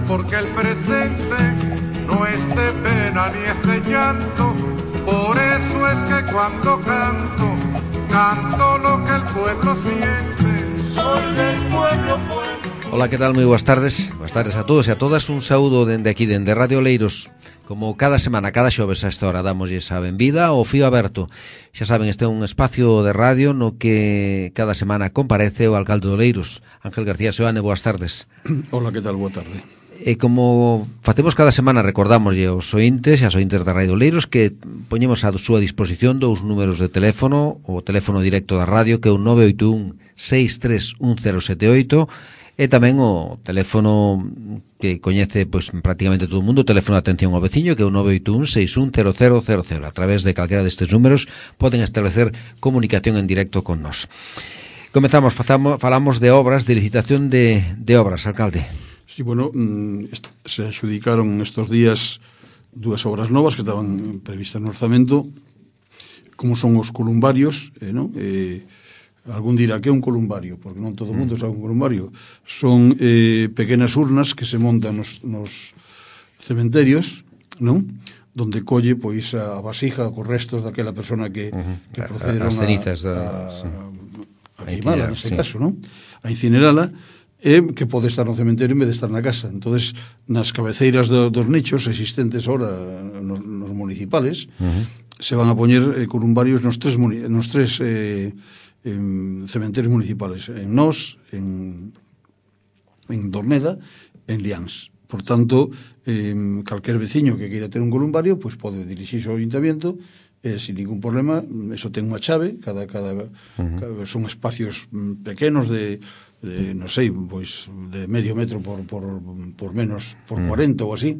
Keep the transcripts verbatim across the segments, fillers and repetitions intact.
porque el presente no es de pena ni es de llanto. Por eso es que cuando canto, canto lo que el pueblo siente. Soy del pueblo, pueblo. Ola, que tal? Moi boas tardes. Boas tardes a todos e a todas. Un saúdo dende aquí, dende Radio Oleiros. Como cada semana, cada xoves a esta hora, damos esa benvida ao Fío Aberto. Xa saben, este é un espacio de radio no que cada semana comparece o alcalde de Oleiros, Ángel García Seoane. Boas tardes. Hola, que tal? Boa tarde. E como facemos cada semana, recordamoslle aos ointes e as ointes da Radio Oleiros que poñemos a súa disposición dous números de teléfono, o teléfono directo da radio, que é o nove oito un, seis tres un cero sete oito, e tamén o teléfono que coñece pois prácticamente todo o mundo, o teléfono de atención ao veciño, que é o nove oito un, seis un cero cero cero cero. A través de calquera destes números poden establecer comunicación en directo con nós. Comezamos, fazamos, falamos de obras, de licitación de, de obras, alcalde. Sí, bueno, se adxudicaron estos días dúas obras novas que estaban previstas no orzamento, como son os columbarios, eh, non? Eh, algún dirá que é un columbario, porque non todo o mundo sabe un columbario. Son eh, pequenas urnas que se montan nos, nos cementerios, non? Donde colle pois a vasija cos restos daquela persona que, uh-huh. que procederon as cenizas a, da, a, sí. a, a queimala, nese sí. caso, non? A incinerala, e que pode estar no cementerio en vez de estar na casa. Entonces, nas cabeceiras do, dos nichos existentes ahora nos, nos municipales, uh-huh. se van a poñer eh, columbarios nos tres, nos tres eh, en cementerios municipales, en Nós, en, en Dorneda, en Liáns. Por tanto, eh, calquer veciño que queira ter un columbario, pues pode dirixirse ao ayuntamiento, eh, sin ningún problema. Eso ten unha chave, cada, cada, uh-huh. cada son espacios pequenos de, de non sei, pois de medio metro por, por, por menos, por uh-huh. cuarenta ou así,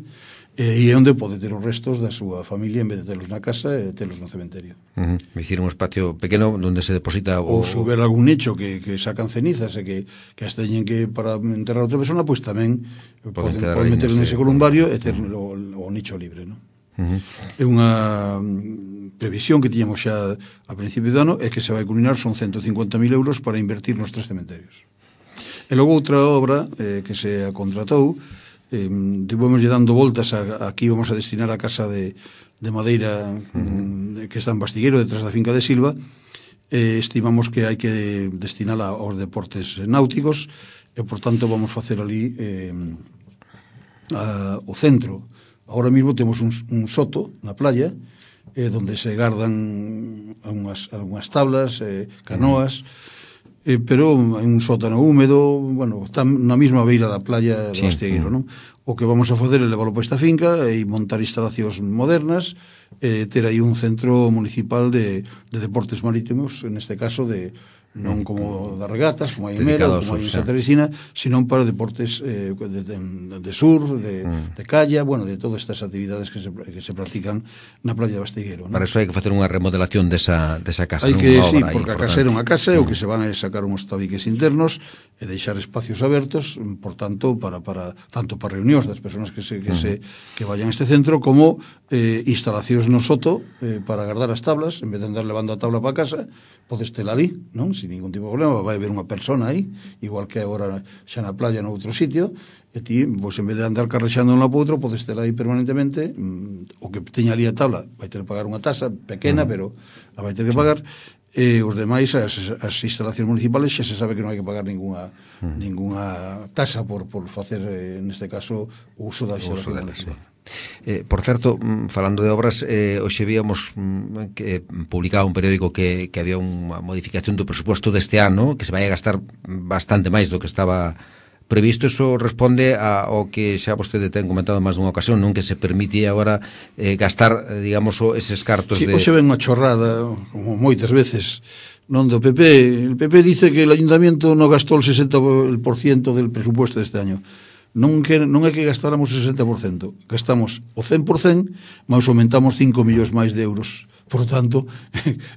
e é onde pode ter os restos da súa familia en vez de telos na casa e telos no cementerio. Uh-huh. Me hicieron un espacio pequeno onde se deposita o... Ou se houber algún nicho que, que sacan cenizas e que, que as teñen que para enterrar a outra persona, pois pues tamén poden, poden meter nese columbario e ter uh-huh. o, o nicho libre, non? Uh-huh. É unha previsión que tiñamos xa a principio do ano e que se vai culminar, son ciento cincuenta mil euros para invertir nos tres cementerios. E logo outra obra eh, que se contratou, eh, tivemos dando voltas a, a aquí vamos a destinar a casa de, de madeira uh-huh. que está en Bastigueiro, detrás da finca de Silva. Eh, estimamos que hai que destinala aos deportes náuticos e, por tanto, vamos facer ali eh, a, o centro. Agora mesmo temos un, un soto na playa eh, donde se gardan algunhas, algunhas tablas, eh, canoas, uh-huh. Eh, pero en un sótano húmedo, bueno, está na mesma beira da playa do Bastigueiro, non? O que vamos a facer é leválo para esta finca e montar instalacións modernas, e eh, ter aí un centro municipal de, de deportes marítimos, en este caso de non como das regatas, como hai en Mera, como hai en Santa Teresina, sino para deportes eh, de, de, de sur, de, mm. de calla, bueno, de todas estas actividades que se, que se practican na playa de Bastigueiro, ¿no? Para eso hai que facer unha remodelación desa, desa casa. Hai que, sí, porque importante. A casa era unha casa e mm. o que se van a sacar uns tabiques internos e deixar espacios abertos, por tanto, para, para tanto para reunións das persoas que se, que, mm. se, que vayan a este centro, como eh, instalacións no soto eh, para guardar as tablas, en vez de andar levando a tabla para casa, podes tela ali, non? Sin ningún tipo de problema, vai haber unha persona aí, igual que agora xa na playa no outro sitio, e ti, pois, en vez de andar carrexando un lado para outro, podes tela aí permanentemente, mmm, o que teña ali a tabla vai ter que pagar unha tasa pequena, mm. pero a vai ter que pagar, e os demais, as, as instalacións municipales, xa se sabe que non hai que pagar ninguna, mm. ninguna tasa por, por facer, eh, neste caso, o uso da instalación municipal. Eh, por certo, falando de obras, eh, hoxe víamos mm, que publicaba un periódico que, que había unha modificación do presuposto deste ano, que se vai a gastar bastante máis do que estaba previsto. Eso responde ao que xa vostede ten comentado máis dunha ocasión, non, que se permite agora eh, gastar, eh, digamos, eses cartos sí, de... Hoxe ven unha chorrada, como moitas veces, non do P P. El P P dice que el ayuntamiento non gastou el sesenta por ciento del presupuesto deste año. Non, que, non é que gastáramos o sesenta por cento, gastamos o cen por cento, mas aumentamos cinco millóns máis de euros. Por tanto,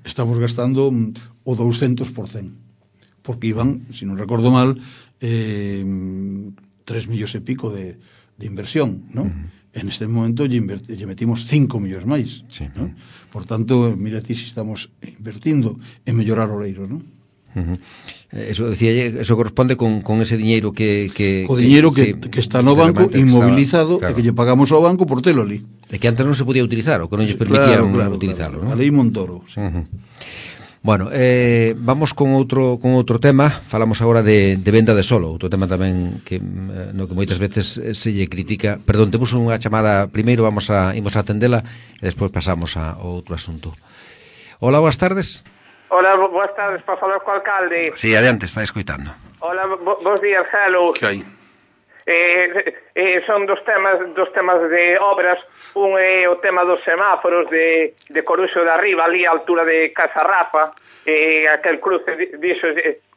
estamos gastando o douscentos por cento, porque iban, se non recordo mal, eh, tres millóns e pico de, de inversión, non? Uh-huh. En este momento lle, lle metimos cinco millóns máis, sí. Non? Por tanto, mira ti se estamos invertindo en mellorar o Oleiros, non? Uh -huh. Eso decía, eso corresponde con, con ese diñeiro que, que o diñeiro que, que, que está no banco inmobilizado, estaba, claro, e que lle pagamos ao banco por telo ali. E que antes non se podía utilizar, ou que non lle permitieron claro, claro, utilizarlo, claro. ¿no? A lei Montoro, sí. Uh -huh. Bueno, eh, vamos con outro con outro tema. Falamos agora de, de venda de solo, outro tema tamén que no que moitas veces se lle critica. Perdón, temos unha chamada primeiro, vamos a imos a atendela e despois pasamos a outro asunto. Hola, boas tardes. Hola, boas tardes, para falar co alcalde. Si, sí, adiante, está escoitando. Hola, bo, bos días, hello. Que hai? Eh, eh, son dos temas dos temas de obras. Un é o tema dos semáforos de, de Coruxo de Arriba, ali a altura de Casa Rafa, e aquel cruce dixo,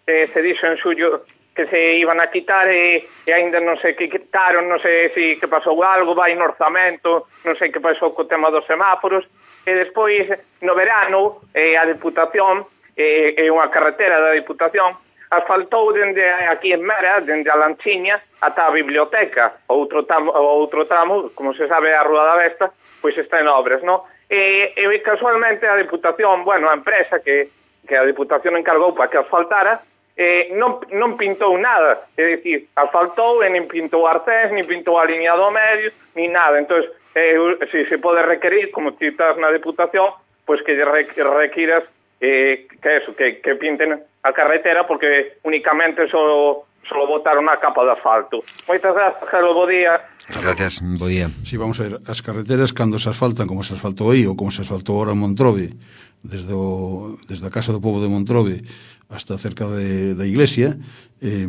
eh, se dixo en suyo que se iban a quitar e, e ainda non sei que quitaron, non sei se que pasou algo, vai no orzamento, non sei que pasou co tema dos semáforos, e despois no verano eh, a Diputación, eh, é unha carretera da Diputación, asfaltou dende aquí en Mera, dende a Lanchiña, ata a biblioteca, outro tramo, outro tramo, como se sabe, a Rúa da Vesta, pois está en obras, non? E, e casualmente a Diputación, bueno, a empresa que, que a Diputación encargou para que asfaltara, eh, non, non pintou nada, é dicir, asfaltou e nin pintou arcés, nin pintou a línea do medio, nin nada. Entón, eh, se se pode requerir, como ti estás na Diputación, pois que requiras eh, que eso, que, que pinten a carretera, porque únicamente só, só botaron a capa de asfalto. Moitas grazas, Jero, bo día. Gracias, bo día. Sí, vamos a ver, as carreteras cando se asfaltan, como se asfaltou aí, ou como se asfaltou ahora en Montrove, desde, o, desde a Casa do Pobo de Montrove hasta cerca de, da iglesia, eh,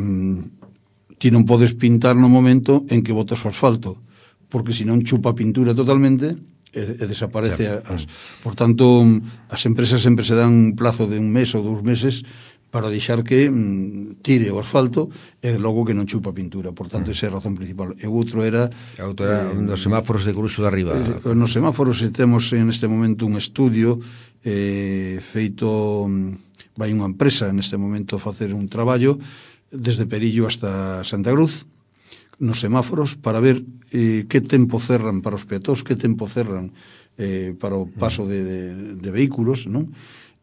ti non podes pintar no momento en que botas o asfalto, porque senón chupa a pintura totalmente e, e desaparece. Sí. As, por tanto, as empresas sempre se dan un plazo de un mes ou dous meses para deixar que mm, tire o asfalto e logo que non chupa pintura. Por tanto, mm. esa é a razón principal. E o outro era... A outra era eh, nos semáforos de Coruxo de Arriba. Eh, nos semáforos temos en este momento un estudio eh, feito... Vai unha empresa neste momento a facer un traballo desde Perillo hasta Santa Cruz nos semáforos para ver eh, que tempo cerran para os peatóns, que tempo cerran eh, para o paso de, de, de vehículos, non?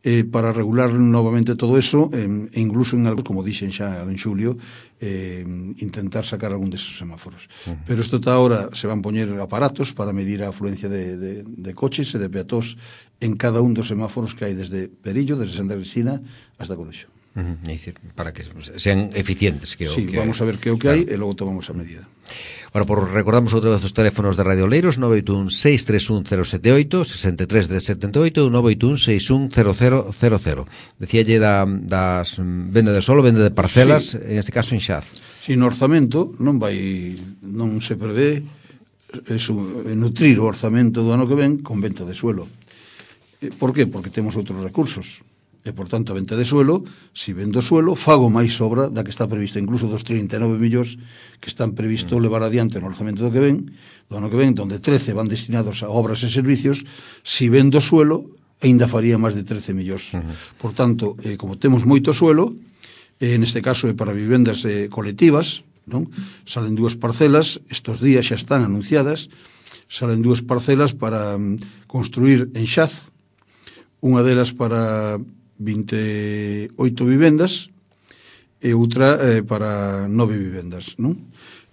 Eh, para regular novamente todo eso e eh, incluso en algo, como dixen xa en xulio, eh, intentar sacar algún deses semáforos. Uh -huh. Pero isto está ahora, se van poñer aparatos para medir a afluencia de, de, de coches e de peatóns en cada un dos semáforos que hai desde Perillo, desde Santa Cristina hasta Coruxo. Uh -huh. É dicir, para que sean eficientes. Que sí, o que vamos hai. A ver que o que claro. hai e logo tomamos a medida. Bueno, por recordamos outra vez os teléfonos de Radio Oleiros, nove oito un seis tres un cero sete oito, sesenta e tres de setenta e oito, nove oito un seis un cero cero cero cero. Decíalle da, das venda de solo, venda de parcelas, sí. En este caso en Xaz. Si no orzamento non vai, non se prevé eso, nutrir o orzamento do ano que ven con venta de suelo. Por qué? Porque temos outros recursos. E, por tanto, a venta de suelo, si vendo suelo, fago máis obra da que está prevista, incluso dos trinta e nove millóns que están previsto levar adiante no orzamento do que ven, do ano que ven, donde trece van destinados a obras e servicios, si vendo suelo, ainda faría máis de trece millóns. Uh -huh. Por tanto, eh, como temos moito suelo, eh, en este caso é para vivendas eh, colectivas, non? Salen dúas parcelas, estos días xa están anunciadas, salen dúas parcelas para mm, construir en Xaz, unha delas para vinte e oito vivendas e outra eh, para nove vivendas, non?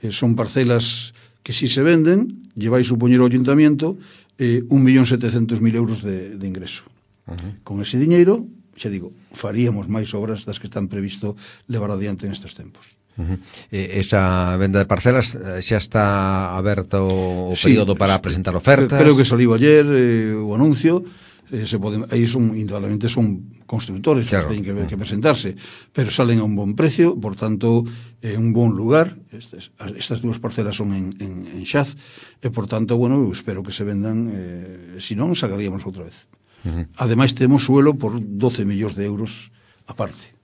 Eh, son parcelas que si se venden, lle vai supoñer ao ayuntamiento eh, un millón setecentos mil euros de, de ingreso. Uh -huh. Con ese diñeiro, xa digo, faríamos máis obras das que están previsto levar adiante nestes tempos. Uh -huh. eh, esa venda de parcelas xa está aberto o sí, período para presentar ofertas? Creo que saliu ayer eh, o anuncio. Eh, se pode, aí son, indudablemente son constructores, claro, que teñen que, que presentarse, pero salen a un bon precio, por tanto é eh, un bon lugar. Estes, estas dúas parcelas son en, en, en Xaz e, por tanto, bueno, eu espero que se vendan, eh, se non, sacaríamos outra vez. Uh -huh. Ademais, temos suelo por doce millóns de euros aparte.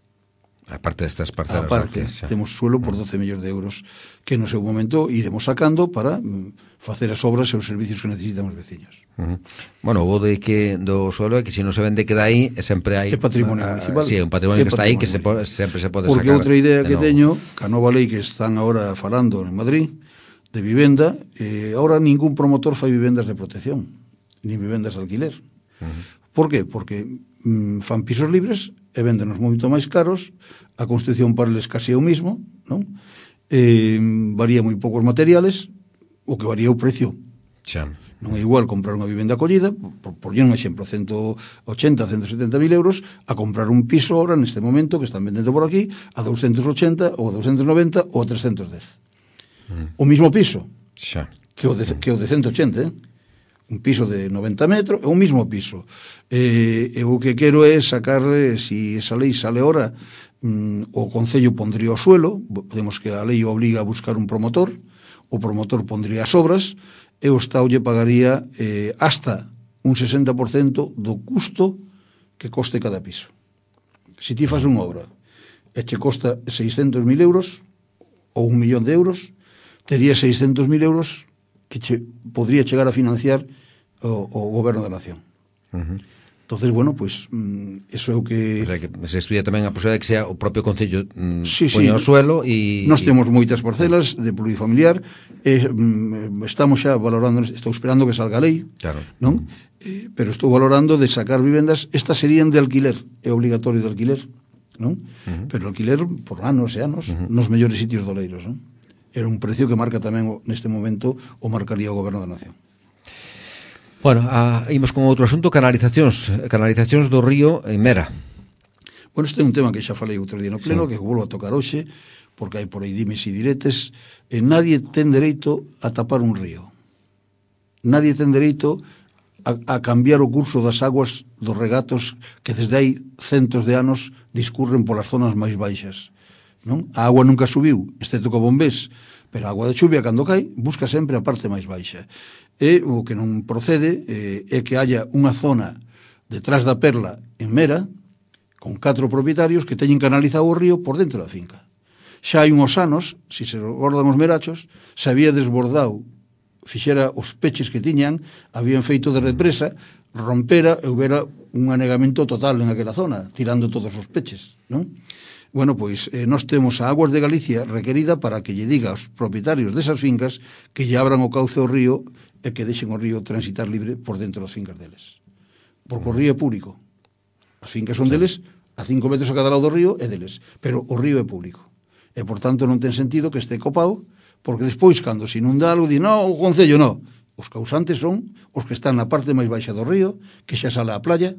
Aparte destas parcelas. Aparte, que, temos suelo por doce millóns de euros que no seu momento iremos sacando para mm, facer as obras e os servicios que necesitan os veciños. Uh -huh. Bueno, o de que do suelo é que se non se vende queda aí e sempre hai... É patrimonio uh, municipal. Sí, un patrimonio que está aí que se pode, sempre se pode Porque sacar. Porque outra idea que no... teño, que a nova lei que están agora falando en Madrid, de vivenda, eh, ahora ningún promotor fai vivendas de protección, nin vivendas de alquiler. Uh -huh. Por qué? Porque mm, fan pisos libres e véndenos moito máis caros, a construcción para eles casi é o mismo, non? Eh, varía moi poucos materiales, o que varía o precio. Xa. Non é igual comprar unha vivenda acollida, por, por un exemplo, ciento ochenta, ciento setenta mil euros, a comprar un piso ahora, neste momento, que están vendendo por aquí, a doscientos ochenta, ou a doscientos noventa, ou a trescientos dez. Mm. O mismo piso, xa. Que, o de, que o de ciento ochenta, eh? Un piso de noventa metros, é o mismo piso. Eh, e o que quero é sacar, eh, si esa lei sale ahora, mm, o Concello pondría o suelo, podemos que a lei obliga a buscar un promotor, o promotor pondría as obras, e o Estado lle pagaría eh, hasta un sesenta por cento do custo que coste cada piso. Se ti fas unha obra e che costa seiscentos mil euros ou un millón de euros, tería seiscentos mil euros que che podría chegar a financiar o, o goberno da nación. Uh-huh. Entonces, bueno, pues mm, eso é o que... O sea, que se estudia tamén a posibilidade de que sea o propio Concello mm, sí, poña sí. o suelo e... Nós temos moitas parcelas de plurifamiliar, e, mm, estamos xa valorando, estou esperando que salga a lei, claro. non? Eh, pero estou valorando de sacar vivendas, estas serían de alquiler, é obligatorio de alquiler, non? Uh-huh. Pero alquiler por anos e anos, uh-huh. nos mellores sitios doleiros, non? Era un precio que marca tamén neste momento o marcaría o goberno da nación. Bueno, a, imos con outro asunto, canalizacións, canalizacións do río en Mera. Bueno, este é un tema que xa falei outro día no pleno, sí. Que volvo a tocar hoxe, porque hai por aí dimes e diretes, e nadie ten dereito a tapar un río. Nadie ten dereito a, a cambiar o curso das aguas dos regatos que desde hai centos de anos discurren polas zonas máis baixas. Non? A agua nunca subiu, excepto co bombés, pero a agua de chuvia, cando cai, busca sempre a parte máis baixa. E o que non procede eh, é que haya unha zona detrás da Perla en Mera, con catro propietarios que teñen canalizado o río por dentro da finca. Xa hai uns anos, se se recordan os merachos, se había desbordado, fixera os peches que tiñan, habían feito de represa, rompera e houbera un anegamento total en aquela zona, tirando todos os peches, non? Bueno, pois, eh, nós temos a Aguas de Galicia requerida para que lle diga aos propietarios desas fincas que lle abran o cauce ao río e que deixen o río transitar libre por dentro das fincas deles. Porque o río é público. As fincas son deles, a cinco metros a cada lado do río é deles, pero o río é público. E, por tanto, non ten sentido que este copado, porque despois, cando se inunda algo, di, no, o Concello, no. Os causantes son os que están na parte máis baixa do río, que xa sale á playa,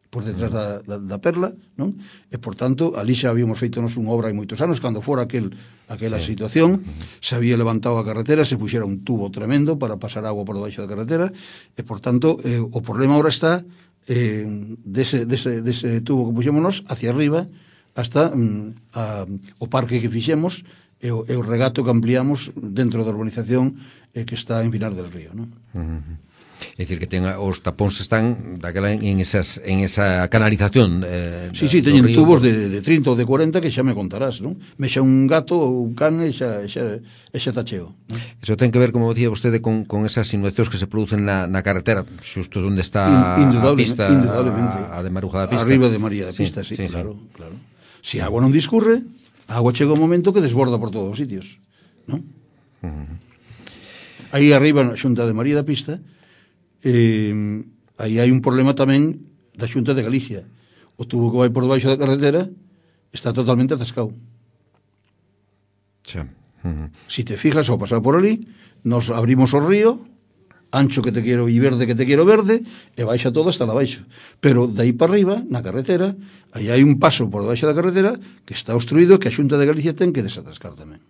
por detrás da, da, da Perla, non? E, por tanto, ali xa habíamos feito nos unha obra hai moitos anos, cando fora aquel, aquela sí. situación, se había levantado a carretera, se puxera un tubo tremendo para pasar agua por debaixo da carretera, e, por tanto, eh, o problema ahora está eh, dese, dese, dese tubo que puxémonos hacia arriba, hasta mm, a, o parque que fixemos, e o, e o regato que ampliamos dentro da urbanización eh, que está en Pinar del Río, non? Uh-huh. É dicir, que ten, os tapóns están daquela en, esas, en esa canalización eh, sí, sí, teñen tubos de, de trinta ou de cuarenta que xa me contarás, non? Mexa un gato ou un can e xa, xa, xa tacheo, non? Eso ten que ver, como dicía vostede, con, con esas inundacións que se producen na, na carretera, xusto onde está Indudable, a pista, indudablemente. a, a de Maruja da Pista. Arriba de María da Pista, sí, sí, sí claro, sí. claro. Se si a agua non discurre, a agua chega un momento que desborda por todos os sitios, non? Uh-huh. Aí arriba, na xunta de María da Pista, Eh, aí hai un problema tamén da Xunta de Galicia. O tubo que vai por debaixo da carretera está totalmente atascado. Sí. Uh-huh. Si te fijas ao pasar por ali, nos abrimos o río, ancho que te quero e verde que te quero verde, e baixa todo hasta la baixo. Pero de aí para arriba, na carretera, aí hai un paso por debaixo da carretera que está obstruído, que a Xunta de Galicia ten que desatascar tamén.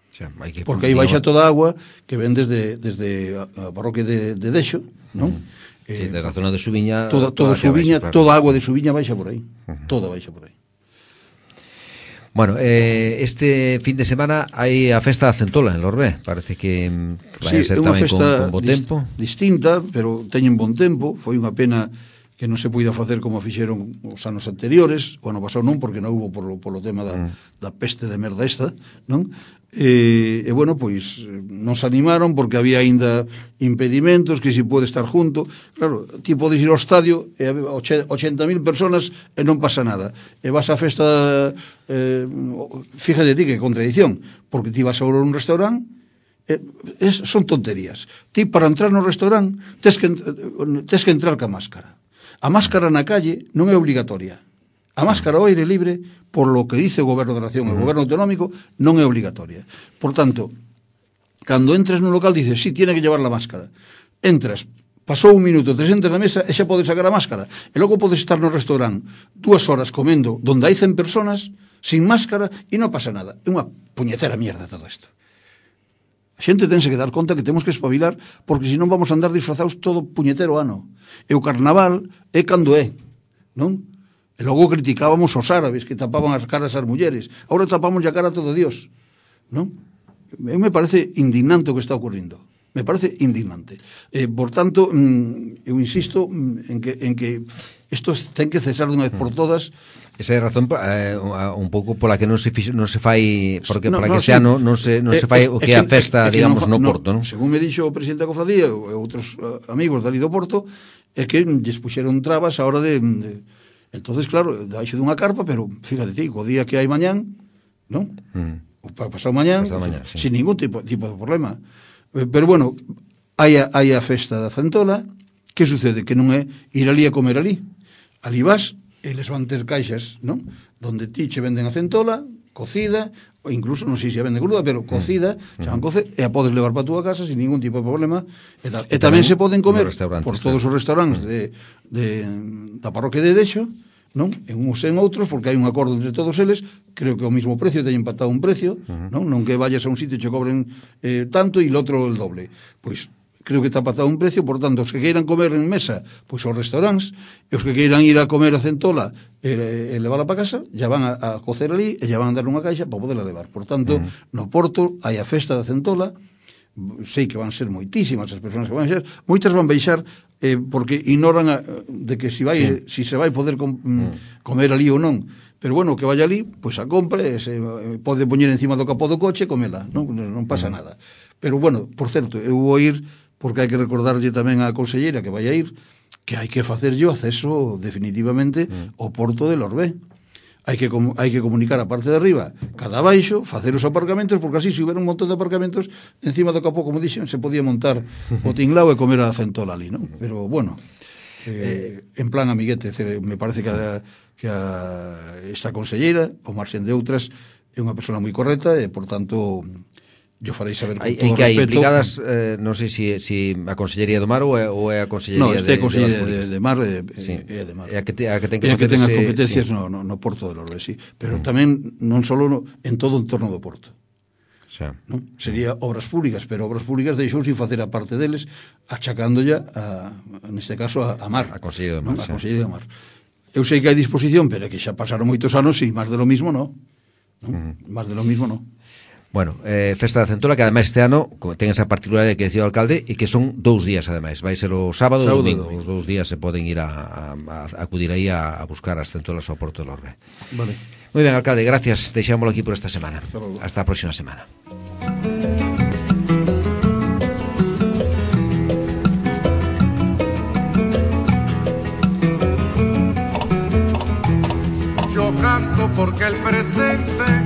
Xa, hai que porque aí baixa toda a agua que ven desde, desde a parroquia de, de Deixo, non? Mm. Sí, eh, desde a zona de Subiña, toda, toda, Subiña, baixa, claro. Toda a agua de Subiña baixa por aí, uh-huh. Toda baixa por aí. Bueno, eh, este fin de semana hai a festa da Centola en Lorbé, parece que vai sí, ser tamén con, con bo tempo. Dist, distinta, pero teñen bon tempo, foi unha pena que non se poida facer como fixeron os anos anteriores, o ano pasado non, porque non hubo polo, polo tema da, mm. da peste de merda esta, non? E, e bueno, pois nos animaron porque había aínda impedimentos, que si pode estar junto, claro, ti podes ir ao estadio e ochenta mil personas e non pasa nada, e vas á festa eh, fíjate ti que contradición, porque ti vas a un restaurante eh, es, son tonterías, ti para entrar no restaurante tes que, tes que entrar ca máscara. A máscara na calle non é obligatoria, A máscara ao aire libre, por lo que dice o Goberno da Nación, uh -huh. o Goberno autonómico, non é obligatoria. Por tanto, cando entres nun local, dices, sí, tiene que llevar la máscara. Entras, pasou un minuto, te sentas na mesa e xa podes sacar a máscara. E logo podes estar no restaurante dúas horas comendo donde hai cen personas sin máscara e non pasa nada. É unha puñetera mierda todo isto. A xente tense que dar conta que temos que espabilar, porque senón vamos a andar disfrazados todo puñetero ano. E o carnaval é cando é, non? E logo criticábamos os árabes que tapaban as caras ás mulleres. Agora tapamos a cara a todo Dios, non? Eu me parece indignante o que está ocurrindo. Me parece indignante. Eh, por tanto, mm, eu insisto mm, en que en que isto ten que cesar de unha vez por todas. Esa é a razón eh, un pouco pola que non se fix, non se fai porque no, para no, que sí. xa non non se non eh, se fai o que é a festa, eh, digamos, no, no Porto, non? Según me dixo o presidente da cofradía e outros uh, amigos dali do Porto, é que lles puxeron trabas a hora de, de entonces claro, daixo dunha carpa, pero fíjate ti, o día que hai mañán, non? Mm. O para pasado mañán, pasado mañán sí. sin ningún tipo tipo de problema. Pero bueno, hai a, hai a festa da Centola. Que sucede? Que non é ir ali a comer ali. Ali vas, eles van ter caixas, non? Donde ti che venden a centola, cocida, ou incluso, non sei se a venden cruda, pero cocida, mm. xa van cocer, e a podes levar para a túa casa sin ningún tipo de problema. E, tal. e, e tamén, tamén se poden comer por todos os restaurantes de, de, da parroquia de Dexo, non? En uns e en outros, porque hai un acordo entre todos eles, creo que o mismo precio, teñen empatado un precio, uh -huh. non? Non que vayas a un sitio e che cobren eh, tanto e o outro el doble. Pois creo que está empatado un precio, por tanto, os que queiran comer en mesa, pois aos restaurantes, e os que queiran ir a comer a centola e, e levarla para casa, ya van a, a cocer ali e ya van a dar unha caixa para poderla levar. Por tanto, uh -huh. no Porto hai a festa da centola, sei que van ser moitísimas as persoas que van a ser, moitas van baixar eh, porque ignoran a, de que si vai sí. si se vai poder com, mm. comer ali ou non, pero bueno, que vaya ali, pois a compre, se eh, pode poñer encima do capó do coche e comela, non, non pasa mm. nada. Pero bueno, por certo, eu vou ir porque hai que recordarlle tamén á conselleira que vai a ir que hai que facerlle o acceso definitivamente mm. ao Porto de Lorbé. Hai que, hai que comunicar a parte de arriba cada baixo, facer os aparcamentos, porque así se hubiera un montón de aparcamentos encima do capó, como dixen, se podía montar o tinglao e comer a centola ali, non? Pero bueno, eh, en plan amiguete, me parece que a, que a esta conselleira, o marxen de outras, é unha persona moi correcta e, por tanto, yo farei saber con hay, todo que hai respeto. implicadas, eh, non sei se si, si a Consellería do Mar ou é, ou é a Consellería no, este de, é a Consellería de, de, de Mar e, sí. é de Mar. É a que, te, a que ten que, que ten as ese, competencias sí. no, no, no Porto de Lourdes, sí. Pero mm. tamén non só no, en todo o entorno do Porto. Xa. Non? Sería obras públicas, pero obras públicas deixou sin facer a parte deles, achacando ya a, neste caso a, a Mar. A Consellería do Mar, non? A Consellería do Mar. Eu sei que hai disposición, pero que xa pasaron moitos anos e máis de lo mismo non. non? Mm. Máis de lo mismo non. Bueno, eh, Festa da Centola, que ademais este ano ten esa particularidade que decía o alcalde e que son dous días ademais, vai ser o sábado e o domingo. domingo os dous días se poden ir a, a, a acudir aí a, a buscar as centolas ao Porto de Lourdes. Vale. Moi ben, alcalde, gracias, deixámoslo aquí por esta semana. Hasta a próxima semana. Yo canto porque el presente